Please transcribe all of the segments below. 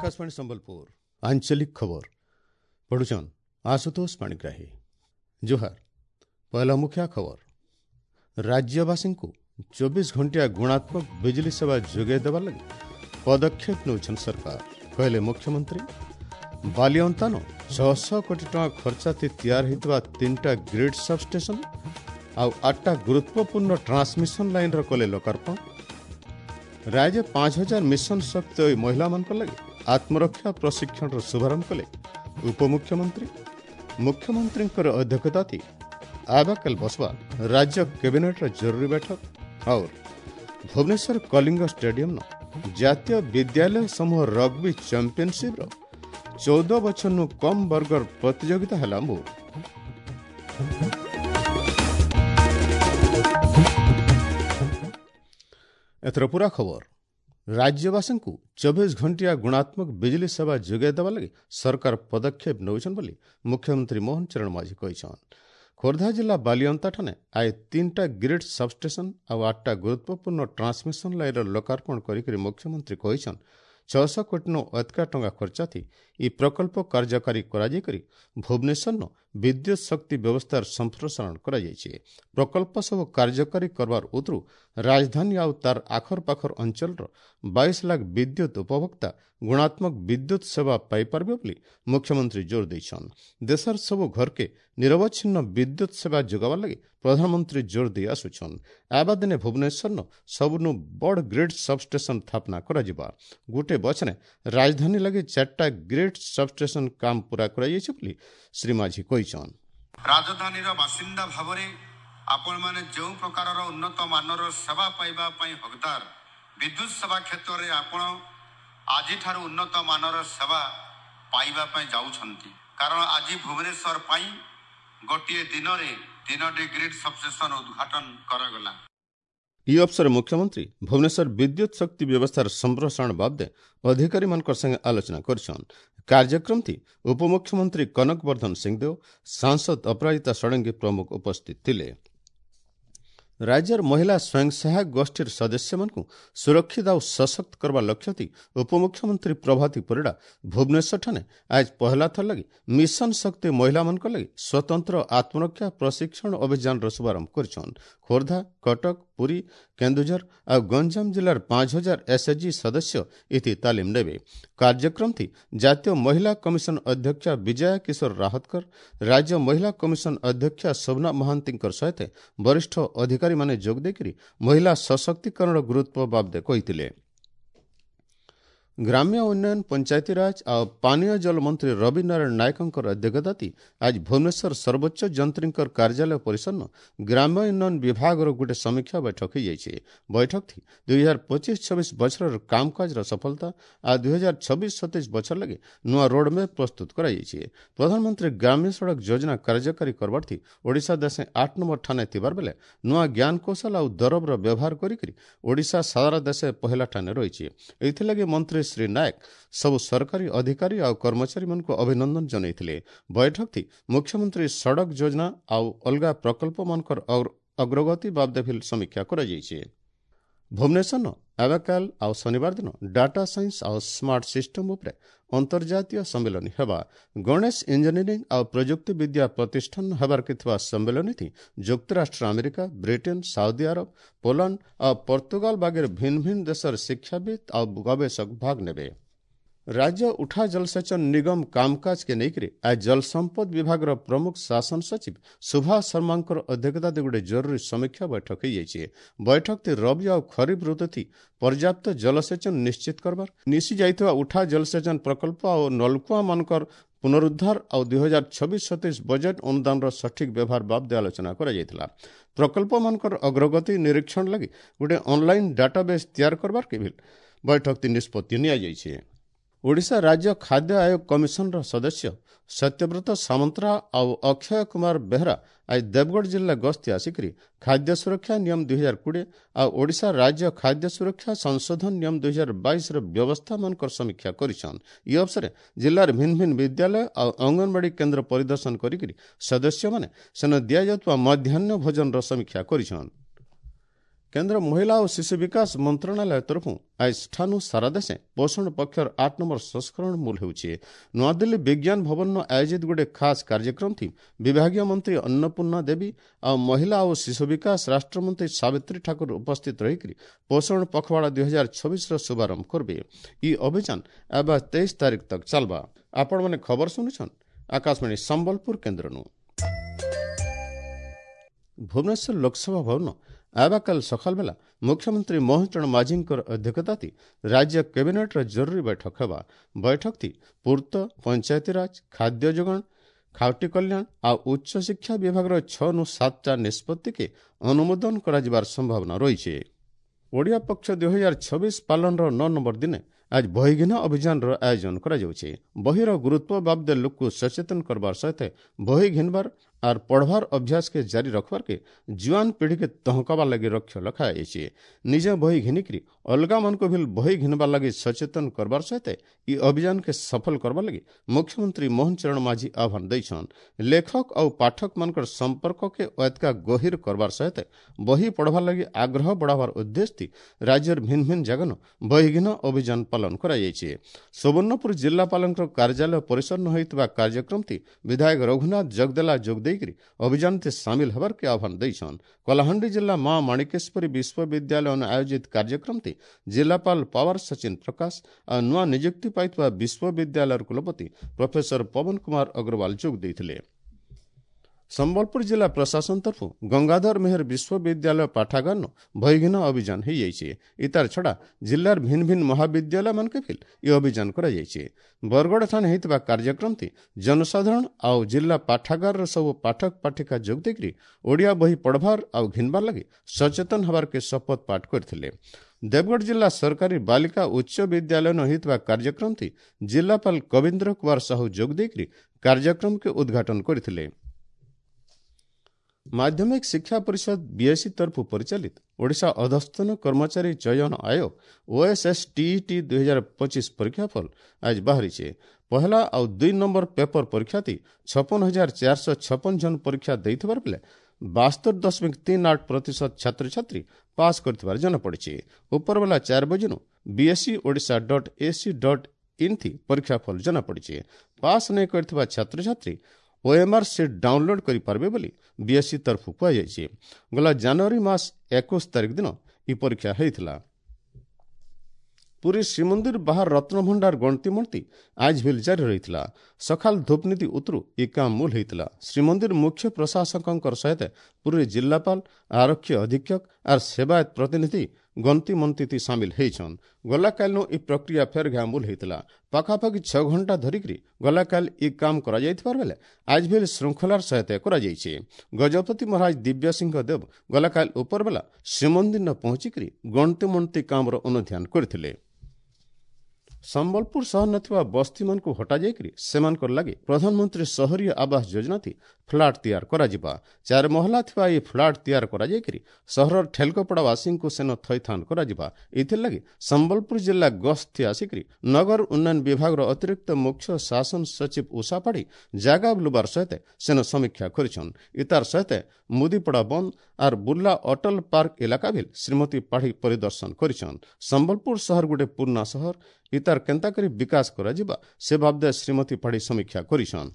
आकाशवाणी संबलपुर आंचलिक खबर पढ़ुछन आशुतोष पाणिग्राही। जुहार। पहला मुख्य खबर, राज्यवासी 24 घंटिया गुणात्मक बिजली सेवा जोगाई देवार लगी पदक्षेप नेउछन सरकार, कहले मुख्यमंत्री। बालिअंतान 600 कोटी टଙ୍କା खर्चाती तैयार होइतबा 3टा ग्रिड सबस्टेशन आउ 8टा गुरुत्वपूर्ण ट्रांसमिशन लाइनर कले लोकार्पण। राज्य 5000 मिशन शक्ति महिला मान लगी आत्मरक्षा प्रशिक्षण शुभारंभ कले उपमुख्यमंत्री। मुख्यमंत्री अध्यक्षता आबाकल बसवा राज्य कैबिनेटर जरूरी बैठक। और भुवनेश्वर कलिंग स्टेडियम जातीय विद्यालय समूह रग्बी चैंपियनशिप 14 बछर नु कम वर्गर प्रतियोगिता हला मूल। एथर पूरा खबर। राज्यवासी 24 घंटिया गुणात्मक बिजली सेवा जोगाई देवा लगी सरकार पदक्षेप नेउछन बोली मुख्यमंत्री मोहन चरण माझी कहिछन। खोर्धा जिला बालिअंता ठाने आए 3टा ग्रिड सबस्टेशन आउ 8टा गुरुत्वपूर्ण ट्रांसमिशन लाइनर लोकार्पण करिकरि मुख्यमंत्री कहिछन 600 कोटी नु अधिका टंका खर्चा थी इ प्रकल्प कार्यकारी कराजाई भुवनेश्वर विद्युत शक्ति व्यवस्थार संप्रसारण कराଯାଇଛି। प्रकल्प सब कार्यकारी करवार उतरू राजधानी आउ तार आखर पाखर अंचलर 22 लाख विद्युत उपभोक्ता गुणात्मक विद्युत सेवा पाइपारबे बोली मुख्यमंत्री जोर देइछन। देशर सब घर के निरवच्छिन्न विद्युत सेवा जोगावा लगी प्रधानमंत्री जोर दिए आसुछन। आबा दिने भुवनेश्वर सबनु बड़ ग्रिड सबस्टेशन स्थापना कराଯିବା। गोटे बछने राजधानी लगी 4टा ग्रिड सबस्टेशन काम पूरा कराଯାଇଛି बोली श्री माझी कहिछन। राजधानीर बासिंदा भाବରେ आपण माने जो प्रकारर उन्नत मानर सेवा पाइबा पई हकदार, विद्युत सेवा क्षेत्र रे आपण आजि ठारू उन्नत मानर सेवा पाइबा पई जाउछंती। कारण आजि भुवनेश्वर पई गोटिए दिन रे 3टी ग्रिड सबस्टेशन उद्घाटन करागला। इ अवसर मुख्यमंत्री भुवनेश्वर विद्युत शक्ति व्यवस्थार संप्रसारण बाबदे अधिकारी मान संगे आलोचना करछन। कार्यक्रम थी उपमुख्यमंत्री कनक वर्धन सिंहदेव, सांसद अपराजिता षडंगी प्रमुख उपस्थित थिले। राज्यर महिला स्वयं सहायक गोष्ठीर सदस्य मानकु सुरक्षित आउ सशक्त करवा लक्ष्य थी उपमुख्यमंत्री प्रभाती परिडा भुवनेश्वर ठाने आज पहला थर लगी मिशन शक्ति महिला मानक लगी स्वतंत्र आत्मरक्षा प्रशिक्षण अभियान शुभारंभ करछन। खोर्धा, कटक, पुरी, केन्दुझर आ गंजाम जिलार 5000 एसएचजी सदस्य इति तालीम नेवे। कार्यक्रम थी जातीय महिला कमिशन अध्यक्ष विजया किशोर राहतकर, राज्य महिला कमिशन अध्यक्ष शोभना महांतींकर सहित वरिष्ठ अधिकारी माने जोग देकरी महिला सशक्तिकरण गुरुत्व बाबदे कहितिले। ग्राम्य उन्नयन, पंचायती राज और पानीय जल मंत्री रवि नारायण नायकंकर अध्यक्षता आज भुवनेश्वर सर्वोच्च जंत्रींकर कार्यालय परिसर ग्राम्य उन्नयन विभागर गोटे समीक्षा बैठक होइଯାଇଛି। बैठक थी 2025-26 बछर कामकाजर सफलता आ 2026-27 बछर लगे नुआ रोडमैप प्रस्तुत कराଯାଇଛି। प्रधानमंत्री ग्राम्य सड़क योजना कार्यकारी करबार थी ओडिशा देशे 8 नंबर ठाने थिबार बेले नुआ ज्ञान कौशल आउ दरबର व्यवहार करिकरि ओडिशा सारा देशे पहला ठाने रहिଛି। एथिलागि मंत्री श्री नायक सब सरकारी अधिकारी और कर्मचारी मानकु अभिनंदन जनैथिले। बैठक थी मुख्यमंत्री सड़क योजना आउ अलगा प्रकल्प मानकर अग्रगति बाबदे फिल समीक्षा कराଯାଇଛି। भुवनेश्वर आबाकाल आउ शनिवार दिन डाटा साइंस आउ स्मार्ट सिस्टम उपरे अंतर्जातीय सम्मेलनी हेबा। गणेश इंजीनियरिंग आउ प्रयुक्ति विद्या प्रतिष्ठान हेबार के थिबा सम्मेलनी थी ଯୁକ୍ତରାଷ୍ଟ୍ର America, Britain, Saudi Arab, Poland ଆଉ ପର୍ତ୍ତୁଗାଲ ବାଗେର ଭିନ୍ନ ଭିନ୍ନ ଦେଶର ଶିକ୍ଷାବିତ୍ ଆଉ ଗବେଷକ ଭାଗ ନେବେ। राज्य उठा जलसेचन निगम कामकाज के लेकर आज जल संपद विभाग प्रमुख शासन सचिव सुभाष शर्मा अध्यक्षता गोटे जरूरी समीक्षा बैठक होइଯାଇଛି। बैठक थी रबी और खरीफ ऋतु थी पर्याप्त जलसेचन निश्चित करबार, निशी जाइतुआ उठा जलसेचन प्रकल्प और नलकुआ मानकर पुनरुद्धार और 2026-27 बजेट अनुदान सठिक व्यवहार बाबदे आलोचना कराଯାଇଥିଲା। प्रकल्प मानकर अग्रगति निरीक्षण लगी गोटे ऑनलाइन डाटाबेस तैयार करबार के भी बैठक थी निष्पत्ति निआଯାଇଛି। ओडिशा राज्य खाद्य आयोग कमिशनर सदस्य सत्यव्रत सामंतरा आउ अक्षय कुमार बेहरा आज देवगढ़ जिला गस्ती आसिकरी खाद्य सुरक्षा नियम 2020 आ ओडिशा राज्य खाद्य सुरक्षा संशोधन नियम 2022 र व्यवस्था मानकर समीक्षा करिछन। इ अवसरे जिलार भिन्न भिन्न विद्यालय आ अंगनवाड़ी केंद्र परिदर्शन करिकरी सदस्य माने सेन दिया जातुआ मध्याह्न भोजन र समीक्षा करिछन। କେନ୍ଦ୍ର ମହିଳା ଓ ଶିଶୁ ବିକାଶ ମନ୍ତ୍ରଣାଳୟ ତରଫରୁ ଆଜିଠାନୁ ସାରା ଦେଶେ ପୋଷଣ ପକ୍ଷର 8 ନମ୍ବର ସଂସ୍କରଣ ମୂଲ ହେଉଛି। ନୂଆଦିଲ୍ଲୀ ବିଜ୍ଞାନ ଭବନ ଆୟୋଜିତ ଗୋଟେ ଖାସ୍ କାର୍ଯ୍ୟକ୍ରମ ଥି ବିଭାଗୀୟ ମନ୍ତ୍ରୀ ଅନ୍ନପୂର୍ଣ୍ଣା ଦେବୀ ଆଉ ମହିଳା ଓ ଶିଶୁ ବିକାଶ ରାଷ୍ଟ୍ରମନ୍ତ୍ରୀ ସାବିତ୍ରୀ ଠାକୁର ଉପସ୍ଥିତ ରହିକରି ପୋଷଣ ପଖୱାଡ଼ା 2026ର ଶୁଭାରମ୍ଭ କରିବେ। ଇ ଅଭିଯାନ ଏବେ 23 ତାରିଖ ତକ ଚାଲବା। ଆପଣମାନେ ଖବର ଶୁଣୁଛନ୍ ଆକାଶବାଣୀ ସମ୍ବଲପୁର କେନ୍ଦ୍ରନୁ। ଭୁବନେଶ୍ୱର ଲୋକସଭା ଭବନ ଆବାକାଲ ସକାଳ ବେଲା ମୁଖ୍ୟମନ୍ତ୍ରୀ ମୋହନ ଚରଣ ମାଝୀଙ୍କର ଅଧ୍ୟକ୍ଷତାତି ରାଜ୍ୟ କ୍ୟାବିନେଟ୍ର ଜରୁରୀ ବୈଠକ ହେବା। ବୈଠକଟି ପୂର୍ତ୍ତ, ପଞ୍ଚାୟତିରାଜ, ଖାଦ୍ୟ ଯୋଗାଣ, ଖାଉଟି କଲ୍ୟାଣ ଆଉ ଉଚ୍ଚଶିକ୍ଷା ବିଭାଗର 6ରୁ 7ଟା ନିଷ୍ପତ୍ତିକେ ଅନୁମୋଦନ କରାଯିବାର ସମ୍ଭାବନା ରହିଛି। ଓଡ଼ିଆ ପକ୍ଷ 2026 ପାଳନର 9 ନମ୍ବର ଦିନେ ଆଜ ବହିଘିନା ଅଭିଯାନର ଆୟୋଜନ କରାଯାଉଛି। ବହିର ଗୁରୁତ୍ୱ ବାବଦେ ଲୋକକୁ ସଚେତନ କରବାର ସହିତ ବହି ଘିନବାର ଆର୍ ପଢ଼ବାର ଅଭ୍ୟାସକେ ଜାରି ରଖବାର୍କେ ଜୁଆନ ପିଢ଼ିକେ ତହକାବାର ଲାଗି ଲକ୍ଷ୍ୟ ରଖାଯାଇଛି। ନିଜେ ବହି ଘିନିକରି ଅଲଗାମାନଙ୍କୁ ବି ବହି ଘିନବାର ଲାଗି ସଚେତନ କରବାର ସହିତ ଇ ଅଭିଯାନକେ ସଫଳ କରବାର ଲାଗି ମୁଖ୍ୟମନ୍ତ୍ରୀ ମୋହନ ଚରଣ ମାଝୀ ଆହ୍ୱାନ ଦେଇଛନ୍। ଲେଖକ ଆଉ ପାଠକମାନଙ୍କର ସମ୍ପର୍କକେ ଏତକା ଗଭୀର କରବାର ସହିତ ବହି ପଢ଼ବାର ଲାଗି ଆଗ୍ରହ ବଢ଼ାବାର ଉଦ୍ଦେଶ୍ୟ ରାଜ୍ୟର ଭିନ୍ନ ଭିନ୍ନ ଜାଗାନ ବହିଘିନ ଅଭିଯାନ ପାଳନ କରାଯାଇଛି। ସୁବର୍ଣ୍ଣପୁର ଜିଲ୍ଲାପାଳଙ୍କ କାର୍ଯ୍ୟାଳୟ ପରିସର ହୋଇଥିବା କାର୍ଯ୍ୟକ୍ରମଟି ବିଧାୟକ ରଘୁନାଥ ଜଗଦେଲା ଯୋଗ ଦେଇକରି ଅଭିଯାନରେ ସାମିଲ ହେବାର୍କେ ଆହ୍ୱାନ ଦେଇଛନ୍। କଳାହାଣ୍ଡି ଜିଲ୍ଲା ମା ମାଣିକେଶ୍ୱରୀ ବିଶ୍ୱବିଦ୍ୟାଳୟ ଆୟୋଜିତ କାର୍ଯ୍ୟକ୍ରମଟି ଜିଲ୍ଲାପାଳ ପାୱାର ସଚିନ ପ୍ରକାଶ ଆଉ ନୂଆ ନିଯୁକ୍ତି ପାଇଥିବା ବିଶ୍ୱବିଦ୍ୟାଳୟର କୁଳପତି ପ୍ରଫେସର ପବନ କୁମାର ଅଗ୍ରୱାଲ ଯୋଗ ଦେଇଥିଲେ। ସମ୍ବଲପୁର ଜିଲ୍ଲା ପ୍ରଶାସନ ତରଫରୁ ଗଙ୍ଗାଧର ମେହେର ବିଶ୍ୱବିଦ୍ୟାଳୟ ପାଠାଗାର ବହିଘିନ ଅଭିଯାନ ହୋଇଯାଇଛି। ଇତାର ଛଡ଼ା ଜିଲ୍ଲାର ଭିନ୍ନ ଭିନ୍ନ ମହାବିଦ୍ୟାଳୟମାନକେ ଫିଲ୍ ଏ ଅଭିଯାନ କରାଯାଇଛି। ବରଗଡ଼ ଥାନେ ହୋଇଥିବା କାର୍ଯ୍ୟକ୍ରମଟି ଜନସାଧାରଣ ଆଉ ଜିଲ୍ଲା ପାଠାଗାରର ସବୁ ପାଠକ ପାଠିକା ଯୋଗ ଦେଇକରି ଓଡ଼ିଆ ବହି ପଢ଼ବାର ଆଉ ଘିନବାର ଲାଗି ସଚେତନ ହେବାର୍କେ ଶପଥ ପାଠ କରିଥିଲେ। ଦେବଗଡ଼ ଜିଲ୍ଲା ସରକାରୀ ବାଲିକା ଉଚ୍ଚ ବିଦ୍ୟାଳୟ ହୋଇଥିବା କାର୍ଯ୍ୟକ୍ରମଟି ଜିଲ୍ଲାପାଳ କବୀନ୍ଦ୍ର କୁମାର ସାହୁ ଯୋଗ ଦେଇକରି କାର୍ଯ୍ୟକ୍ରମକୁ ଉଦ୍ଘାଟନ କରିଥିଲେ। ମାଧ୍ୟମିକ ଶିକ୍ଷା ପରିଷଦ ବିଏସ୍ଇ ତରଫରୁ ପରିଚାଳିତ ଓଡ଼ିଶା ଅଧସ୍ତନ କର୍ମଚାରୀ ଚୟନ ଆୟୋଗ ଓଏସ୍ଏସ୍ଟିଇଟି 2025 ପରୀକ୍ଷାଫଳ ଆଜି ବାହାରିছে। ପହଲା ଆଉ 2 ନମ୍ବର ପେପର ପରୀକ୍ଷାଟି 56,456 ଜଣ ପରୀକ୍ଷା ଦେଇଥିବାର ବେଳେ 72.38% ଛାତ୍ରଛାତ୍ରୀ ପାସ୍ କରିଥିବାର ଜଣାପଡ଼ିଛି। ଉପରବେଲା 4 ବଜେନୁ ବିଏସ୍ଇ ଓଡ଼ିଶା .ac.in ଥି ପରୀକ୍ଷାଫଳ ଜଣାପଡ଼ିଛି। ପାସ୍ ନାଇଁ କରିଥିବା ଛାତ୍ରଛାତ୍ରୀ ଓଏମ୍ଆର୍ ସିଟ୍ ଡାଉନଲୋଡ୍ କରିପାରିବେ ବୋଲି ବିଏସ୍ଇ ତରଫରୁ କୁହାଯାଇଛି। ଗଲା ଜାନୁଆରୀ ମାସ 21 ତାରିଖ ଦିନ ଏହି ପରୀକ୍ଷା ହୋଇଥିଲା। ପୁରୀ ଶ୍ରୀମନ୍ଦିର ବାହାର ରତ୍ନଭଣ୍ଡାର ଗଣତିମଣତି ଆଜ ଭିଲ୍ ଜାରି ରହିଥିଲା। ସକାଳ ଧୂପନୀତି ଉତରୁ ଏ କାମ ମୂଲ ହୋଇଥିଲା। ଶ୍ରୀମନ୍ଦିର ମୁଖ୍ୟ ପ୍ରଶାସକଙ୍କର ସହିତ ପୁରୀ ଜିଲ୍ଲାପାଳ, ଆରକ୍ଷୀ ଅଧୀକ୍ଷକ ଆର୍ ସେବାୟତ ପ୍ରତିନିଧି ଗଣତିମନ୍ତିତି ସାମିଲ ହେଇଛନ୍। ଗଲାକାଲିନୁ ଏ ପ୍ରକ୍ରିୟା ଫେର ଘା ମୂଲ ହେଇଥିଲା। ପାଖାପାଖି 6 ଘଣ୍ଟା ଧରିକରି ଗଲାକାଲି ଏ କାମ କରାଯାଇଥିବାର ବେଲେ ଆଜ ଭିଲ୍ ଶୃଙ୍ଖଳାର ସହିତ କରାଯାଇଛି। ଗଜପତି ମହାରାଜ ଦିବ୍ୟସିଂହ ଦେବ ଗଲାକାଲି ଉପରବେଲା ଶ୍ରୀମନ୍ଦିର ପହଞ୍ଚିକରି ଗଣତିମଣତି କାମର ଅନୁଧ୍ୟାନ କରିଥିଲେ। ସମ୍ବଲପୁର ସହର ନଥିବା ବସ୍ତିମାନଙ୍କୁ ହଟାଯାଇକରି ସେମାନଙ୍କର ଲାଗି ପ୍ରଧାନମନ୍ତ୍ରୀ ସହରୀୟ ଆବାସ ଯୋଜନାତି ଫ୍ଲାଟ୍ ତିଆର କରାଯିବା। 4 ମହଲା ଥିବା ଏହି ଫ୍ଲାଟ୍ ତିଆର କରାଯାଇକରି ସହରର ଠେଲକପଡ଼ାବାସୀଙ୍କୁ ସେନ ଥଇଥାନ କରାଯିବା। ଏଥିର୍ଲାଗି ସମ୍ବଲପୁର ଜିଲ୍ଲା ଗସ୍ତି ଆସିକରି ନଗର ଉନ୍ନୟନ ବିଭାଗର ଅତିରିକ୍ତ ମୁଖ୍ୟ ଶାସନ ସଚିବ ଉଷା ପାଢ଼ୀ ଜାଗା ବୁଲବାର ସହିତ ସେନ ସମୀକ୍ଷା କରିଛନ୍। ଇତାର ସହିତ ମୁଦିପଡ଼ା ବନ୍ଦ ଆର୍ ବୁର୍ଲା ଅଟଲ ପାର୍କ ଇଲାକା ଭିଲ୍ ଶ୍ରୀମତୀ ପାଢ଼ୀ ପରିଦର୍ଶନ କରିଛନ୍। ସମ୍ବଲପୁର ସହର ଗୋଟେ ପୁରୁଣା ସହର, ଇତାର କେନ୍ତା କରି ବିକାଶ କରାଯିବା ସେ ବାବଦେ ଶ୍ରୀମତୀ ପାଢ଼ୀ ସମୀକ୍ଷା କରିଛନ୍।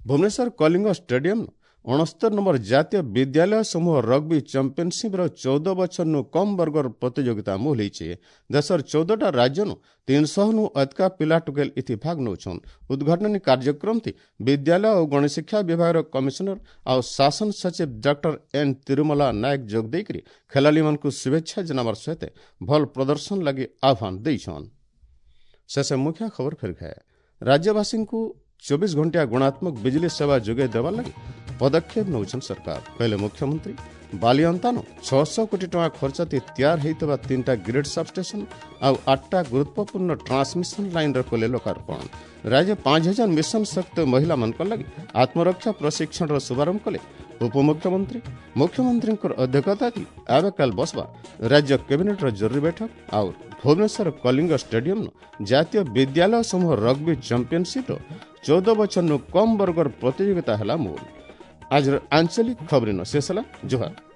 ଭୁବନେଶ୍ୱର କଳିଙ୍ଗ ଷ୍ଟାଡିୟମ 69 ନମ୍ବର ଜାତୀୟ ବିଦ୍ୟାଳୟ ସମୂହ ରଗ୍ବି ଚାମ୍ପିଅନସିପ୍ର 14 ବଛରନୁ କମ୍ ବର୍ଗର ପ୍ରତିଯୋଗିତା ମୂଲ ହେଇଛେ। ଦେଶର 14ଟା ରାଜ୍ୟନୁ 300ନୁ ଅଧିକା ପିଲା ଟୁକେଲ ଇଥି ଭାଗ ନେଉଛନ୍। ଉଦ୍ଘାଟନୀ କାର୍ଯ୍ୟକ୍ରମଟି ବିଦ୍ୟାଳୟ ଓ ଗଣଶିକ୍ଷା ବିଭାଗର କମିଶନର ଆଉ ଶାସନ ସଚିବ ଡକ୍ଟର ଏନ୍ ତିରୁମଲା ନାୟକ ଯୋଗ ଦେଇକରି ଖେଳାଳିମାନଙ୍କୁ ଶୁଭେଚ୍ଛା ଜଣାବାର ସହିତ ଭଲ ପ୍ରଦର୍ଶନ ଲାଗି ଆହ୍ୱାନ ଦେଇଛନ୍। ଶେଷ ମୁଖ୍ୟ ଖବର ଫେର ଖାଏ। ରାଜ୍ୟବାସୀଙ୍କୁ 24 ଘଣ୍ଟିଆ ଗୁଣାତ୍ମକ ବିଜୁଳି ସେବା ଯୋଗାଇ ଦେବାର ଲାଗି ପଦକ୍ଷେପ ନେଉଛନ୍ତି ସରକାର, କହିଲେ ମୁଖ୍ୟମନ୍ତ୍ରୀ। ବାଲିଅନ୍ତାନୁ 600 କୋଟି ଟଙ୍କା ଖର୍ଚ୍ଚ ତିଆର ହୋଇଥିବା 3ଟା ଗ୍ରିଡ୍ ସବଷ୍ଟେସନ ଆଉ 8ଟା ଗୁରୁତ୍ୱପୂର୍ଣ୍ଣ ଟ୍ରାନ୍ସମିଶନ ଲାଇନ୍ର କଲେ ଲୋକାର୍ପଣ। ରାଜ୍ୟ 5000 ମିଶନ ଶକ୍ତି ମହିଳାମାନଙ୍କ ଲାଗି ଆତ୍ମରକ୍ଷା ପ୍ରଶିକ୍ଷଣର ଶୁଭାରମ୍ଭ କଲେ ଉପମୁଖ୍ୟମନ୍ତ୍ରୀ। ମୁଖ୍ୟମନ୍ତ୍ରୀଙ୍କର ଅଧ୍ୟକ୍ଷତା ଆବେକାଲ ବସବା ରାଜ୍ୟ କ୍ୟାବିନେଟ୍ର ଜରୁରୀ ବୈଠକ। ଆଉ ଭୁବନେଶ୍ୱର କଳିଙ୍ଗ ଷ୍ଟାଡିୟମ ଜାତୀୟ ବିଦ୍ୟାଳୟ ସମୂହ ରଗ୍ବି ଚାମ୍ପିଅନସିପ୍ର 14 ବଛରନୁ କମ୍ ବର୍ଗର ପ୍ରତିଯୋଗିତା ହେଲା ମୂଲ। ଆଜିର ଆଞ୍ଚଳିକ ଖବରିନ ଶେଷ ହେଲା। ଜୁହାର।